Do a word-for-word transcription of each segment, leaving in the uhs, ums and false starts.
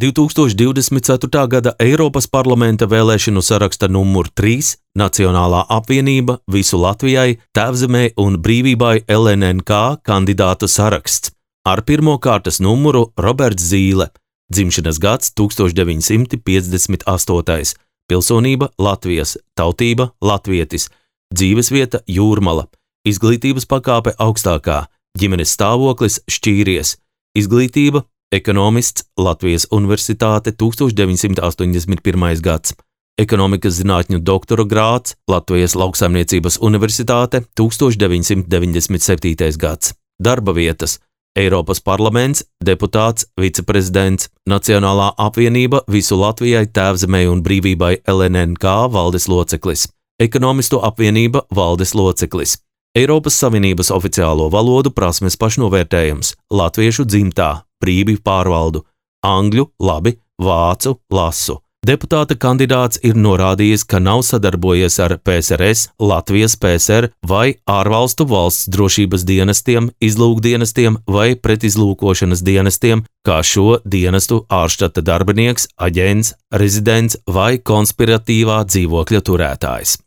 divtūkstoš divdesmit ceturtā gada Eiropas parlamenta vēlēšanu saraksta numur trīs Nacionālā apvienība visu Latvijai, Tēvzemei un brīvībai L N N K kandidātu saraksts. Ar pirmo kārtas numuru Roberts Zīle, dzimšanas gads tūkstoš deviņsimt piecdesmit astotais, pilsonība Latvijas, tautība latvietis, dzīvesvieta Jūrmala, izglītības pakāpe augstākā, ģimenes stāvoklis šķīries, izglītība ekonomists Latvijas Universitāte tūkstoš deviņsimt astoņdesmit pirmais gads, ekonomikas zinātņu doktora grāds Latvijas Lauksaimniecības Universitāte tūkstoš deviņsimt deviņdesmit septītais gads, darba vietas Eiropas parlaments, deputāts, viceprezidents, Nacionālā apvienība visu Latvijai, Tēvzemei un brīvībai L N N K valdes loceklis, ekonomistu apvienība valdes loceklis, Eiropas Savienības oficiālo valodu prasmes pašnovērtējums, latviešu dzimtā, brīvi pārvaldu, angļu, labi, vācu, lasu. Deputāta kandidāts ir norādījis, ka nav sadarbojies ar P S R S, Latvijas P S R vai ārvalstu valsts drošības dienestiem, izlūkdienestiem vai pretizlūkošanas dienestiem, kā šo dienestu ārštata darbinieks, aģents, rezidents vai konspiratīvā dzīvokļa turētājs.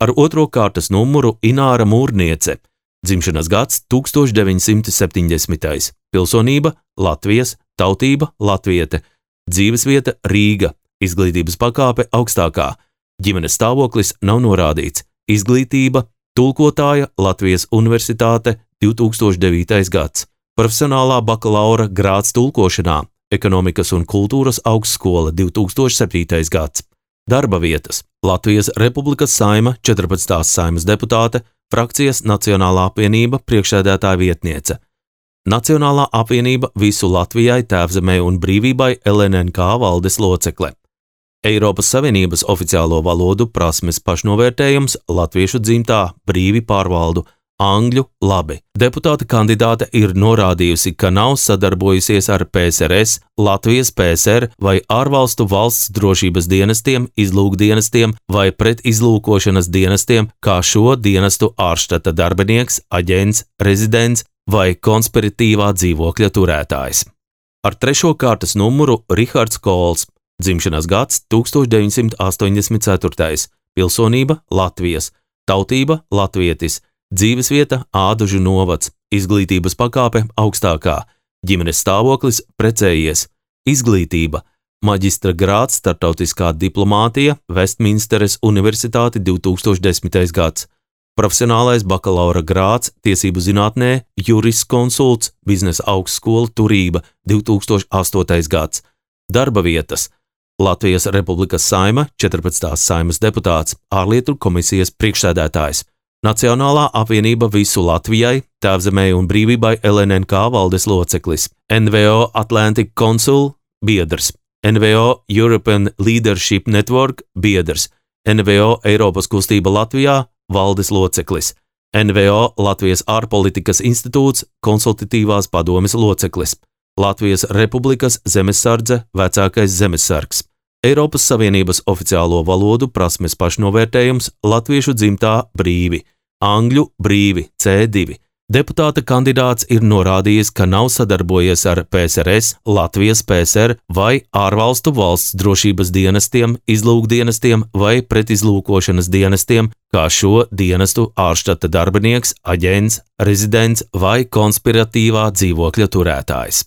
Ar otro kārtas numuru Ināra Mūrniece, dzimšanas gads tūkstoš deviņsimt septiņdesmitais, pilsonība Latvijas, tautība latviete, dzīvesvieta Rīga, izglītības pakāpe augstākā, ģimenes stāvoklis nav norādīts, izglītība tulkotāja Latvijas Universitāte divtūkstoš devītais gads, profesionālā bakalaura grāds tulkošanā, ekonomikas un kultūras augstskola divtūkstoš septītais gads, darba vietas Latvijas Republikas Saima četrpadsmitās Saimas deputāte, frakcijas Nacionālā apvienība priekšsēdētāja vietniece, Nacionālā apvienība visu Latvijai, Tēvzemei un brīvībai L N N K valdes locekle, Eiropas Savienības oficiālo valodu prasmes pašnovērtējums, latviešu dzimtā, brīvi pārvaldu, angļu, labi. Deputāta kandidāte ir norādījusi, ka nav sadarbojusies ar P S R S, Latvijas P S R vai ārvalstu valsts drošības dienestiem, izlūkdienestiem vai pretizlūkošanas dienestiem, kā šo dienestu ārštata darbinieks, aģents, rezidents vai konspiratīvā dzīvokļa turētājs. Ar trešo kārtas numuru Rihards Kols, dzimšanas gads tūkstoš deviņsimt astoņdesmit ceturtais, pilsonība Latvijas, tautība latvietis, dzīvesvieta Ādužu novads, izglītības pakāpe augstākā, ģimenes stāvoklis precējies, izglītība, maģistra grāds starptautiskā diplomātija, Vestminsteres Universitāte divtūkstoš desmitais gads, profesionālais bakalaura grāds tiesību zinātnē, juriskonsults, biznesa augstskola Turība divtūkstoš astotais gads, darba vietas Latvijas Republikas Saima, četrpadsmitās Saimas deputāts, ārlietu komisijas priekšsēdētājs, Nacionālā apvienība visu Latvijai, Tēvzemei un brīvībai L N N K valdes loceklis, N V O Atlantic Council biedrs, N V O European Leadership Network biedrs, N V O Eiropas kustība Latvijā valdes loceklis, N V O Latvijas ārpolitikas institūts konsultatīvās padomes loceklis, Latvijas Republikas zemesardze vecākais zemesargs, Eiropas Savienības oficiālo valodu prasmes pašnovērtējums, latviešu dzimtā brīvi, angļu brīvi C divi. Deputāta kandidāts ir norādījis, ka nav sadarbojies ar P S R S, Latvijas P S R vai ārvalstu valsts drošības dienestiem, izlūkdienestiem vai pretizlūkošanas dienestiem, kā šo dienestu ārštata darbinieks, aģents, rezidents vai konspiratīvā dzīvokļa turētājs.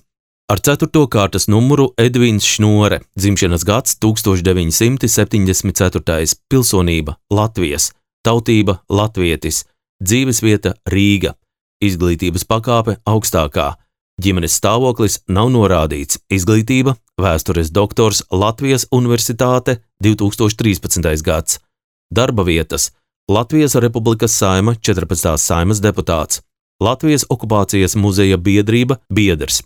Ar ceturto kārtas numuru Edvins Šnore, dzimšanas gads tūkstoš deviņsimt septiņdesmit ceturtais, pilsonība Latvijas, tautība latvietis, dzīvesvieta Rīga, izglītības pakāpe augstākā, ģimenes stāvoklis nav norādīts, izglītība, vēstures doktors Latvijas Universitāte divtūkstoš trīspadsmitais gads, darba vietas Latvijas Republikas Saima, četrpadsmitās Saimas deputāts, Latvijas okupācijas muzeja biedrība biedrs,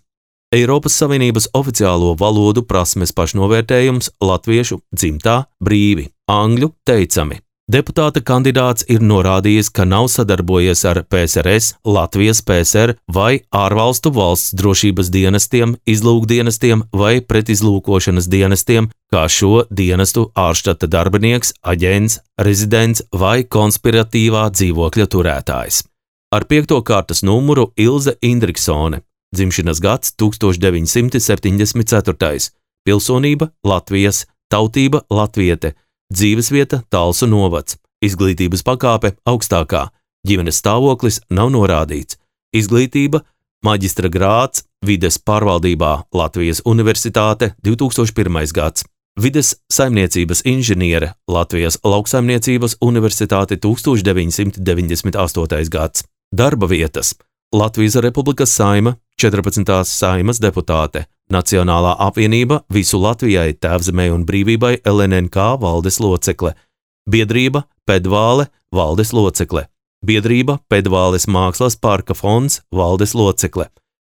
Eiropas Savienības oficiālo valodu prasmes pašnovērtējums, latviešu dzimtā brīvi, angļu teicami. Deputāta kandidāts ir norādījis, ka nav sadarbojies ar P S R S, Latvijas P S R vai ārvalstu valsts drošības dienestiem, izlūkdienestiem vai pretizlūkošanas dienestiem, kā šo dienestu ārštata darbinieks, aģents, rezidents vai konspiratīvā dzīvokļa turētājs. Ar piekto kārtas numuru Ilze Indriksone, dzimšanas gads tūkstoš deviņsimt septiņdesmit ceturtais, pilsonība Latvijas, tautība latviete, dzīvesvieta Talsu novads, izglītības pakāpe augstākā, ģimenes stāvoklis nav norādīts, izglītība maģistra grāds vides pārvaldībā Latvijas Universitāte divi tūkstoši pirmais gads, vides saimniecības inženiere Latvijas Lauksaimniecības Universitāte tūkstoš deviņsimt deviņdesmit astotais gads, darba vietas Latvijas Republikas Saima, četrpadsmitās Saimas deputāte, Nacionālā apvienība visu Latvijai, Tēvzemei un brīvībai L N N K valdes locekle, biedrība Pedvāle valdes locekle, biedrība Pedvāles mākslas parka fonds valdes locekle,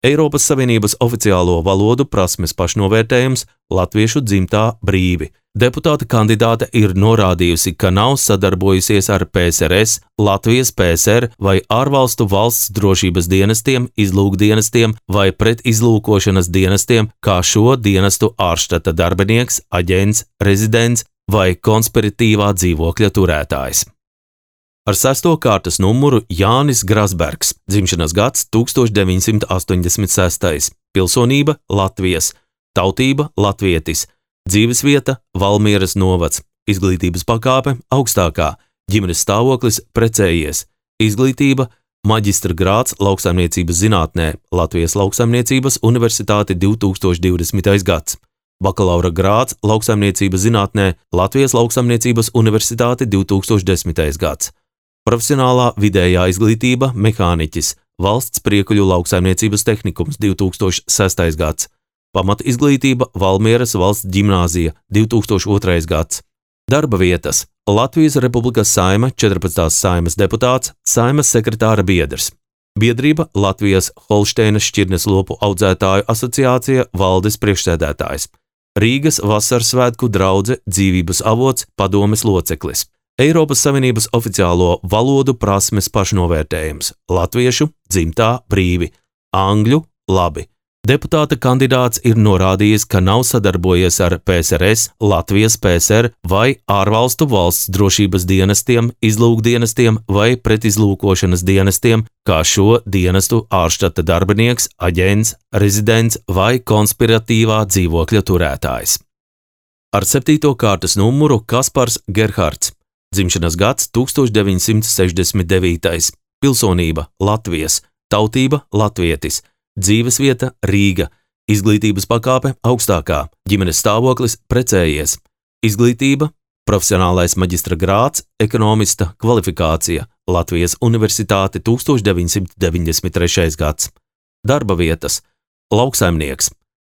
Eiropas Savienības oficiālo valodu prasmes pašnovērtējums latviešu dzimtā brīvi. Deputāta kandidāte ir norādījusi, ka nav sadarbojusies ar P S R S, Latvijas P S R vai ārvalstu valsts drošības dienestiem, izlūkdienestiem vai pretizlūkošanas dienestiem, kā šo dienestu ārštata darbinieks, aģents, rezidents vai konspiratīvā dzīvokļa turētājs. Ar sesto kārtas numuru Jānis Grasbergs, dzimšanas gads tūkstoš deviņsimt astoņdesmit sestais, pilsonība Latvijas, tautība latvietis, dzīvesvieta Valmieras novads, izglītības pakāpe augstākā, ģimenes stāvoklis precējies, izglītība maģistra grāds lauksaimniecības zinātnē Latvijas Lauksaimniecības Universitāte divi tūkstoši divdesmitais gads, bakalaura grāds lauksaimniecības zinātnē Latvijas Lauksaimniecības Universitāte divi tūkstoši desmitais gads. Profesionālā vidējā izglītība mehāniķis, valsts priekuļu lauksaimniecības tehnikums divi tūkstoši sestais gads, pamat izglītība Valmieras valsts ģimnāzija divi tūkstoši otrais gads, darba vietas Latvijas Republikas Saima, četrpadsmitās Saimas deputāts, Saimas sekretāra biedrs, biedrība Latvijas Holšteinas šķirnes lopu audzētāju asociācija valdes priekšsēdētājs, Rīgas vasaras svētku draudze dzīvības avots padomes loceklis, Eiropas Savienības oficiālo valodu prasmes pašnovērtējums, latviešu dzimtā brīvi, angļu labi. Deputāta kandidāts ir norādījis, ka nav sadarbojies ar P S R S, Latvijas P S R vai ārvalstu valsts drošības dienestiem, izlūkdienestiem vai pretizlūkošanas dienestiem, kā šo dienestu ārštata darbinieks, aģents, rezidents vai konspiratīvā dzīvokļa turētājs. Ar septīto kārtas numuru Kaspars Gerhards, dzimšanas gads tūkstoš deviņsimt sešdesmit devītais, pilsonība Latvijas, tautība latvietis, dzīvesvieta Rīga, izglītības pakāpe augstākā, ģimenes stāvoklis precējies, izglītība, profesionālais maģistra grāds, ekonomista kvalifikācija, Latvijas Universitāte tūkstoš deviņsimt deviņdesmit trešais gads, darba vietas, lauksaimnieks,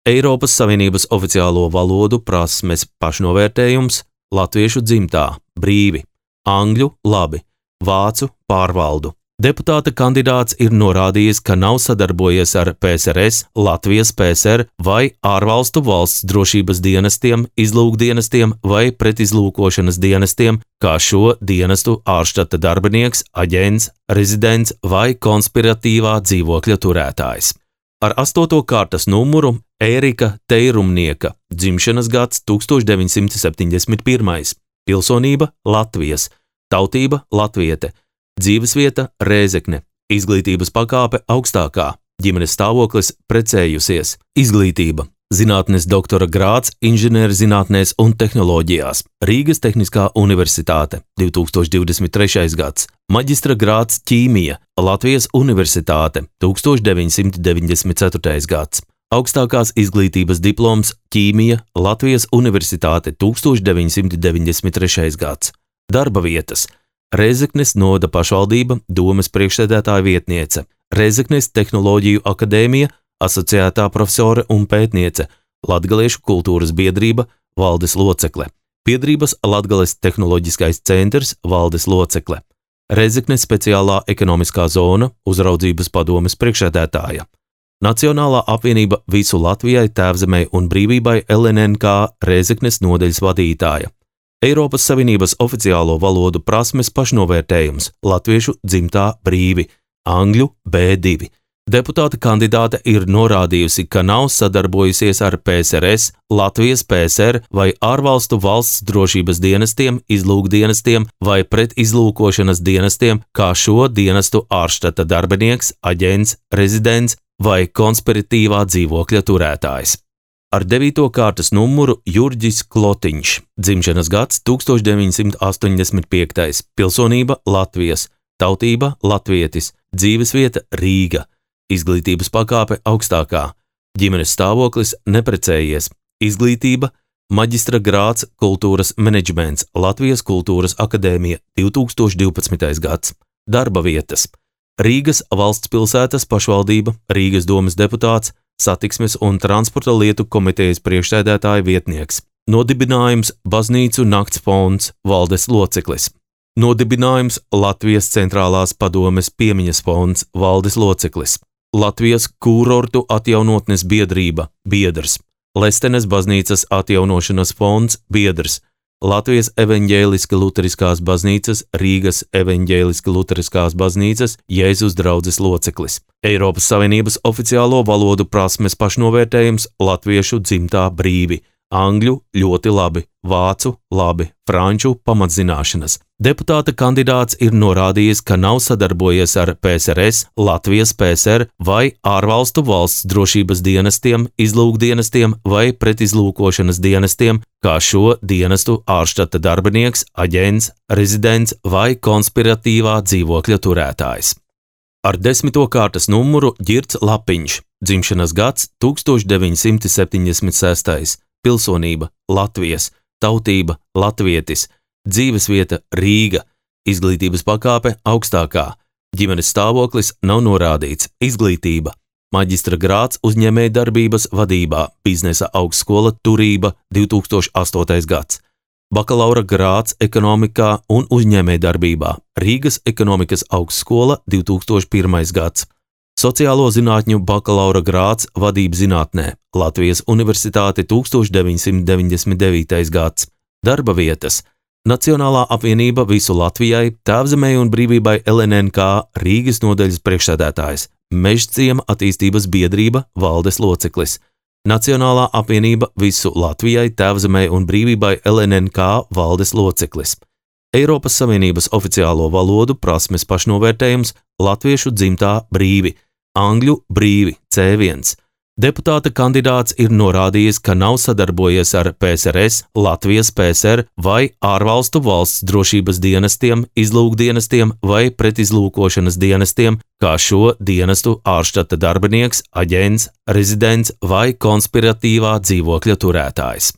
Eiropas Savienības oficiālo valodu prasmes pašnovērtējums, latviešu dzimtā brīvi, angļu labi, vācu pārvaldu. Deputāta kandidāts ir norādījis, ka nav sadarbojies ar P S R S, Latvijas P S R vai ārvalstu valsts drošības dienestiem, izlūkdienestiem vai pretizlūkošanas dienestiem, kā šo dienestu ārštata darbinieks, aģents, rezidents vai konspiratīvā dzīvokļa turētājs. Ar astoto kārtas numuru Ērika Teirumnieka, dzimšanas gads tūkstoš deviņsimt septiņdesmit pirmais, pilsonība Latvijas, tautība latviete, dzīvesvieta Rēzekne, izglītības pakāpe augstākā, ģimenes stāvoklis precējusies, izglītība, zinātnes doktora grāds inženierzinātnēs un tehnoloģijās, Rīgas Tehniskā Universitāte, divi tūkstoši divdesmit trešais gads, maģistra grāds ķīmija, Latvijas Universitāte, tūkstoš deviņsimt deviņdesmit ceturtais gads, augstākās izglītības diploms ķīmija, Latvijas Universitāte, tūkstoš deviņsimt deviņdesmit trešais gads, darba vietas, Rēzeknes novada pašvaldība, domes priekšsēdētāja vietniece, Rēzeknes tehnoloģiju akadēmija, asociētā profesore un pētniece, Latgaliešu kultūras biedrība, valdes locekle, biedrības Latgales tehnoloģiskais centrs, valdes locekle, Rēzeknes speciālā ekonomiskā zona, uzraudzības padomes priekšsēdētāja, Nacionālā apvienība visu Latvijai, Tēvzemei un brīvībai L N N K Rēzeknes nodaļas vadītāja, Eiropas Savienības oficiālo valodu prasmes pašnovērtējums, latviešu dzimtā brīvi, angļu B divi. Deputāta kandidāte ir norādījusi, ka nav sadarbojusies ar P S R S, Latvijas P S R vai ārvalstu valsts drošības dienestiem, izlūkdienestiem vai pretizlūkošanas dienestiem, kā šo dienestu ārštata darbinieks, aģents, rezidents vai konspiratīvā dzīvokļa turētājs. Ar devīto kārtas numuru Jurģis Klotiņš, dzimšanas gads tūkstoš deviņsimt astoņdesmit piektais, pilsonība Latvijas, tautība latvietis, dzīvesvieta Rīga, izglītības pakāpe augstākā, ģimenes stāvoklis neprecējies, izglītība maģistra grāds kultūras menedžments, Latvijas kultūras akadēmija divtūkstoš divpadsmitais gads, darba vietas Rīgas valsts pilsētas pašvaldība, Rīgas domes deputāts, Satiksmes un transporta lietu komitejas priekšsēdētāja vietnieks. Nodibinājums Baznīcu nakts fonds, valdes loceklis. Nodibinājums Latvijas centrālās padomes piemiņas fonds, valdes loceklis. Latvijas kūrortu atjaunotnes biedrība, biedrs. Lestenes baznīcas atjaunošanas fonds, biedrs. Latvijas evaņģēliski luteriskās baznīcas, Rīgas evaņģēliski luteriskās baznīcas, Jēzus draudzes loceklis. Eiropas Savienības oficiālo valodu prasmes pašnovērtējums latviešu dzimtā brīvi, angļu ļoti labi, vācu labi, franču pamatzināšanas. Deputāta kandidāts ir norādījis, ka nav sadarbojies ar P S R S, Latvijas P S R vai ārvalstu valsts drošības dienestiem, izlūkdienestiem vai pretizlūkošanas dienestiem, kā šo dienestu ārštata darbinieks, aģents, rezidents vai konspiratīvā dzīvokļa turētājs. Ar desmito kārtas numuru Ģirts Lapiņš, dzimšanas gads tūkstoš deviņsimt septiņdesmit sestais, pilsonība Latvijas, tautība latvietis, dzīvesvieta Rīga, izglītības pakāpe augstākā, ģimenes stāvoklis nav norādīts, izglītība, maģistra grāds uzņēmējdarbības vadībā, biznesa augstskola turība divtūkstoš astotais gads, bakalaura grāds ekonomikā un uzņēmējdarbībā, Rīgas ekonomikas augstskola divtūkstoš pirmais gads, sociālo zinātņu bakalaura grāds vadības zinātnē, Latvijas universitāte tūkstoš deviņsimt deviņdesmit devītais gads, darba vietas, Nacionālā apvienība visu Latvijai, Tēvzemei un brīvībai L N N K Rīgas nodaļas priekšsēdētājs, Mežciema attīstības biedrība valdes loceklis, Nacionālā apvienība visu Latvijai, Tēvzemei un brīvībai L N N K valdes loceklis, Eiropas Savienības oficiālo valodu prasmes pašnovērtējums latviešu dzimtā brīvi, angļu brīvi C viens. Deputāta kandidāts ir norādījis, ka nav sadarbojies ar P S R S, Latvijas P S R vai ārvalstu valsts drošības dienestiem, izlūkdienestiem vai pretizlūkošanas dienestiem, kā šo dienestu ārštata darbinieks, aģents, rezidents vai konspiratīvā dzīvokļa turētājs.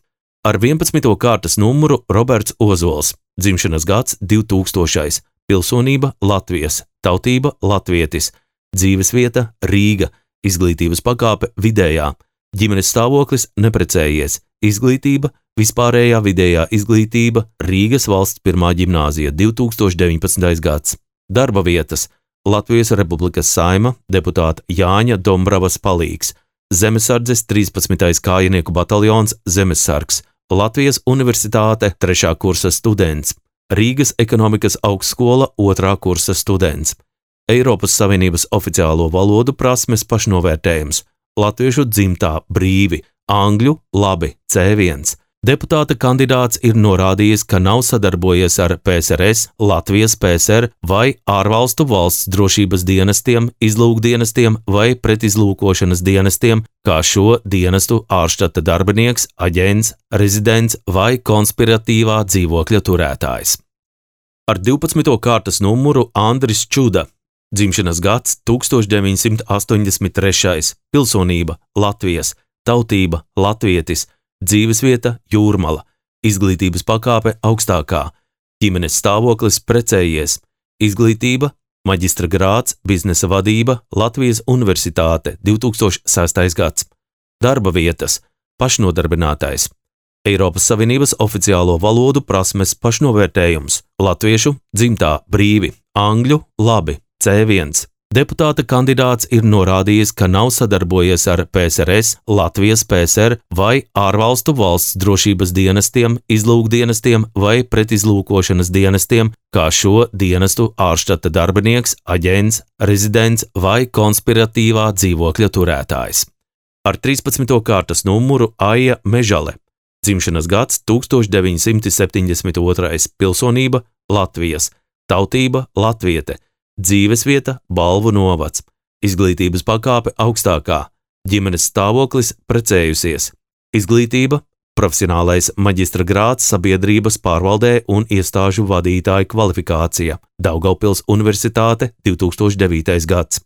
Ar vienpadsmito kārtas numuru Roberts Ozols, dzimšanas gads divtūkstošais, pilsonība Latvijas, tautība latvietis, dzīvesvieta Rīga, izglītības pakāpe vidējā, ģimenes stāvoklis neprecējies, izglītība, vispārējā vidējā izglītība, Rīgas valsts pirmā ģimnāzija divtūkstoš deviņpadsmitais gads, darba vietas, Latvijas Republikas Saeima, deputāta Jāņa Dombravas palīgs, Zemesardzes trīspadsmitais kājinieku bataljons Zemesargs, Latvijas Universitāte trešā kursa students, Rīgas ekonomikas augstskola otrā kursa students, Eiropas Savienības oficiālo valodu prasmes pašnovērtējums, latviešu dzimtā brīvi, angļu labi C viens. Deputāta kandidāts ir norādījis, ka nav sadarbojies ar P S R S, Latvijas P S R vai ārvalstu valsts drošības dienestiem, izlūkdienestiem vai pretizlūkošanas dienestiem, kā šo dienestu ārštata darbinieks, aģents, rezidents vai konspiratīvā dzīvokļa turētājs. Ar divpadsmito kārtas numuru Andris Čuda, dzimšanas gads tūkstoš deviņsimt astoņdesmit trešais, pilsonība Latvijas, tautība latvietis, dzīvesvieta Jūrmala, izglītības pakāpe augstākā, ģimenes stāvoklis precējies, izglītība, maģistra grāds, biznesa vadība, Latvijas universitāte divtūkstoš sestais gads, darba vietas, pašnodarbinātais, Eiropas Savienības oficiālo valodu prasmes pašnovērtējums, latviešu dzimtā brīvi, angļu labi C viens. Deputāta kandidāts ir norādījis, ka nav sadarbojies ar P S R S, Latvijas P S R vai ārvalstu valsts drošības dienestiem, izlūkdienestiem vai pretizlūkošanas dienestiem, kā šo dienestu ārštata darbinieks, aģents, rezidents vai konspiratīvā dzīvokļa turētājs. Ar trīspadsmito kārtas numuru Aija Mežale, dzimšanas gads tūkstoš deviņsimt septiņdesmit otrais, pilsonība Latvijas, tautība latviete, dzīvesvieta Balvu novads, izglītības pakāpe augstākā, ģimenes stāvoklis precējusies, izglītība, profesionālais maģistra grāds sabiedrības pārvaldē un iestāžu vadītāju kvalifikācija, Daugavpils Universitāte, divi tūkstoši devītais gads.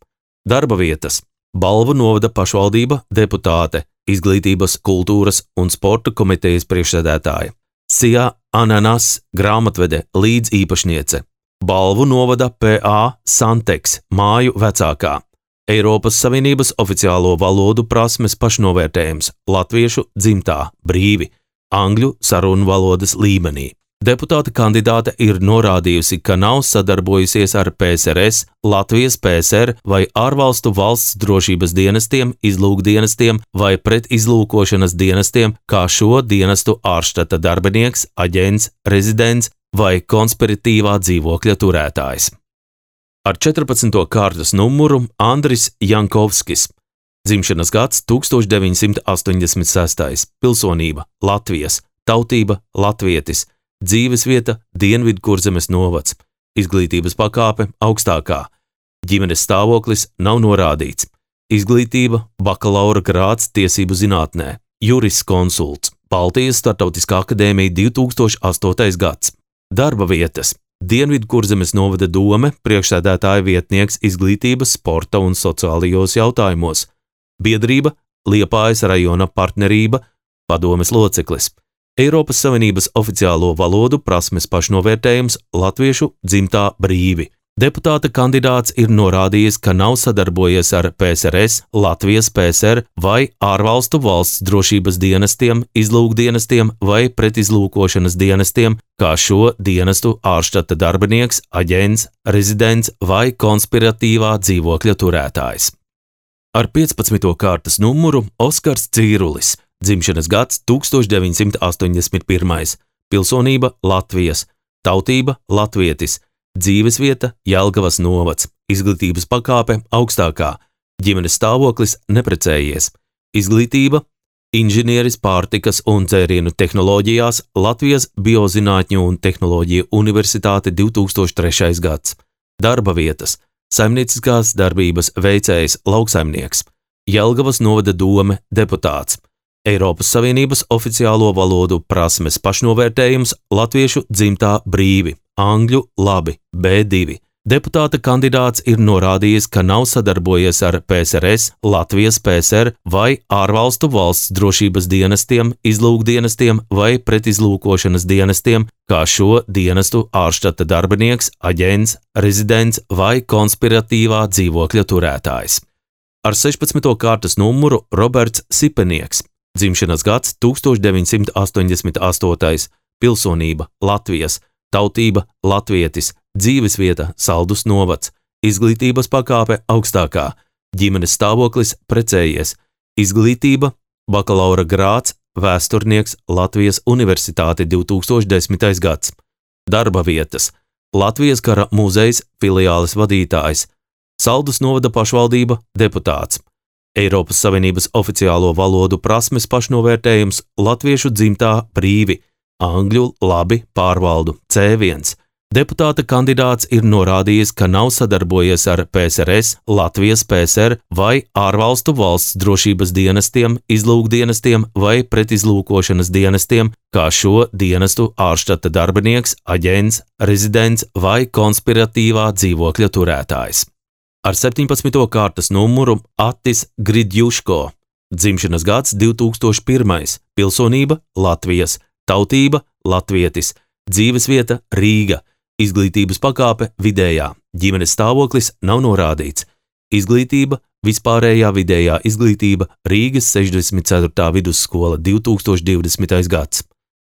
Darba vietas: Balvu novada pašvaldība, deputāte, izglītības, kultūras un sporta komitejas priekšsēdētāja. Sijā Ananas, grāmatvede, līdzīpašniece. Balvu novada P A Santeks, māju vecākā. Eiropas Savienības oficiālo valodu prasmes pašnovērtējums, latviešu dzimtā, brīvi, angļu sarunu valodas līmenī. Deputāta kandidāte ir norādījusi, ka nav sadarbojusies ar P S R S, Latvijas P S R vai ārvalstu valsts drošības dienestiem, izlūkdienestiem vai pretizlūkošanas dienestiem, kā šo dienestu ārštata darbinieks, aģents, rezidents vai konspiratīvā dzīvokļa turētājs. Ar četrpadsmito kārtas numuru Andris Jankovskis. Dzimšanas gads tūkstoš deviņsimt astoņdesmit sestais. Pilsonība Latvijas, tautība latvietis, dzīvesvieta Dienvidkurzemes novads, izglītības pakāpe augstākā, ģimenes stāvoklis nav norādīts, izglītība bakalaura grāds tiesību zinātnē, juriskonsults, Baltijas Startautiskā akadēmija divi tūkstoši astotais gads. Darba vietas: Dienvidkurzemes novada dome, priekšsēdētāja vietnieks izglītības, sporta un sociālajos jautājumos, biedrība Liepājas rajona partnerība, padomes loceklis, Eiropas Savienības oficiālo valodu prasmes pašnovērtējums, latviešu dzimtā brīvi. Deputāta kandidāts ir norādījis, ka nav sadarbojies ar P S R S, Latvijas P S R vai ārvalstu valsts drošības dienestiem, izlūkdienestiem vai pretizlūkošanas dienestiem, kā šo dienestu ārštata darbinieks, aģents, rezidents vai konspiratīvā dzīvokļa turētājs. Ar piecpadsmito kārtas numuru Oskars Cīrulis. Dzimšanas gads tūkstoš deviņsimt astoņdesmit pirmais. Pilsonība Latvijas, tautība latvietis, dzīvesvieta Jelgavas novads, izglītības pakāpe augstākā, ģimenes stāvoklis neprecējies, izglītība inženieris pārtikas un dzērienu tehnoloģijās, Latvijas Biozinātņu un tehnoloģiju universitāte divi tūkstoši trešais gads. Darba vietas: saimnieciskās darbības veicējs lauksaimnieks, Jelgavas novada dome deputāts, Eiropas Savienības oficiālo valodu prasmes pašnovērtējums, latviešu dzimtā brīvi, angļu labi, B divi. Deputāta kandidāts ir norādījis, ka nav sadarbojies ar P S R S, Latvijas P S R vai ārvalstu valsts drošības dienestiem, izlūkdienestiem vai pretizlūkošanas dienestiem, kā šo dienestu ārštata darbinieks, aģents, rezidents vai konspiratīvā dzīvokļa turētājs. Ar sešpadsmito kārtas numuru Roberts Sipenieks. Dzimšanas gads tūkstoš deviņsimt astoņdesmit astotais. Pilsonība Latvijas, tautība latvietis, dzīvesvieta Saldus novads, izglītības pakāpe augstākā, ģimenes stāvoklis precējies, izglītība bakalaura grāds, vēsturnieks Latvijas Universitāte divi tūkstoši desmitais gads. Darba vietas: Latvijas kara muzejs filiāles vadītājs, Saldus novada pašvaldība deputāts, Eiropas Savienības oficiālo valodu prasmes pašnovērtējums, latviešu dzimtā brīvi, angļu labi pārvaldu, C viens. Deputāta kandidāts ir norādījis, ka nav sadarbojies ar P S R S, Latvijas P S R vai ārvalstu valsts drošības dienestiem, izlūkdienestiem vai pretizlūkošanas dienestiem, kā šo dienestu ārštata darbinieks, aģents, rezidents vai konspiratīvā dzīvokļa turētājs. Ar septiņpadsmito kārtas numuru Attis Gridjuško. Dzimšanas gads divi tūkstoši pirmais. Pilsonība Latvijas, tautība latvietis, dzīvesvieta Rīga, izglītības pakāpe vidējā, ģimenes stāvoklis nav norādīts, izglītība vispārējā vidējā izglītība Rīgas sešdesmit ceturtā vidusskola divi tūkstoši divdesmitais gads.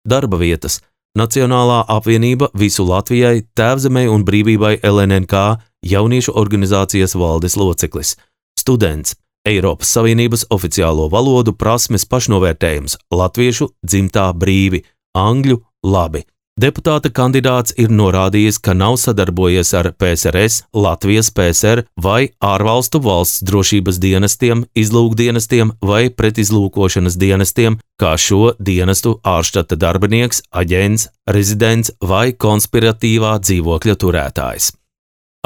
Darba vietas: Nacionālā apvienība visu Latvijai, Tēvzemei un brīvībai L N N K, jauniešu organizācijas valdes loceklis, students, Eiropas Savienības oficiālo valodu prasmes pašnovērtējums, latviešu dzimtā brīvi, angļu labi. Deputāta kandidāts ir norādījis, ka nav sadarbojies ar P S R S, Latvijas P S R vai ārvalstu valsts drošības dienestiem, izlūkdienestiem vai pretizlūkošanas dienestiem, kā šo dienestu ārštata darbinieks, aģents, rezidents vai konspiratīvā dzīvokļa turētājs.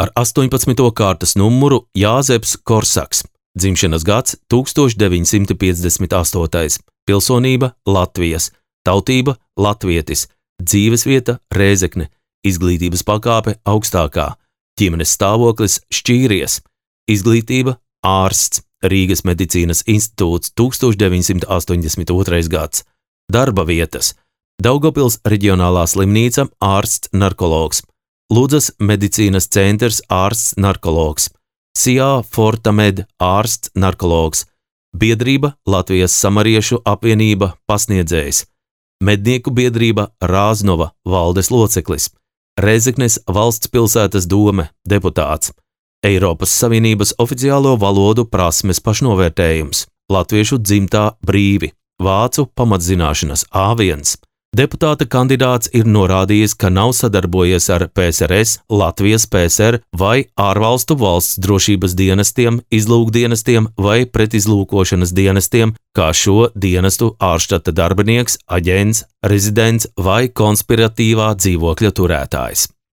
Ar astoņpadsmito kārtas numuru Jāzeps Korsaks. dzimšanas gads tūkstoš deviņsimt piecdesmit astotais, pilsonība Latvijas, tautība latvietis, dzīvesvieta Rēzekne, izglītības pakāpe augstākā, ģimenes stāvoklis šķīries, izglītība ārsts, Rīgas medicīnas institūts tūkstoš deviņsimt astoņdesmit otrais gads, darba vietas, Daugavpils reģionālā slimnīca ārsts narkologs, Ludzas medicīnas centrs ārsts narkologs, Sijā Fortamed ārsts narkologs, biedrība Latvijas samariešu apvienība pasniedzējs, mednieku biedrība Rāznova valdes loceklis, Rēzeknes valsts pilsētas dome deputāts, Eiropas Savienības oficiālo valodu prasmes pašnovērtējums, latviešu dzimtā brīvi, vācu pamatzināšanas A viens. Deputāta kandidāts ir norādījis, ka nav sadarbojies ar P S R S, Latvijas P S R vai ārvalstu valsts drošības dienestiem, izlūkdienestiem vai pretizlūkošanas dienestiem, kā šo dienestu ārštata darbinieks, aģents, rezidents vai konspiratīvā dzīvokļa turētājs.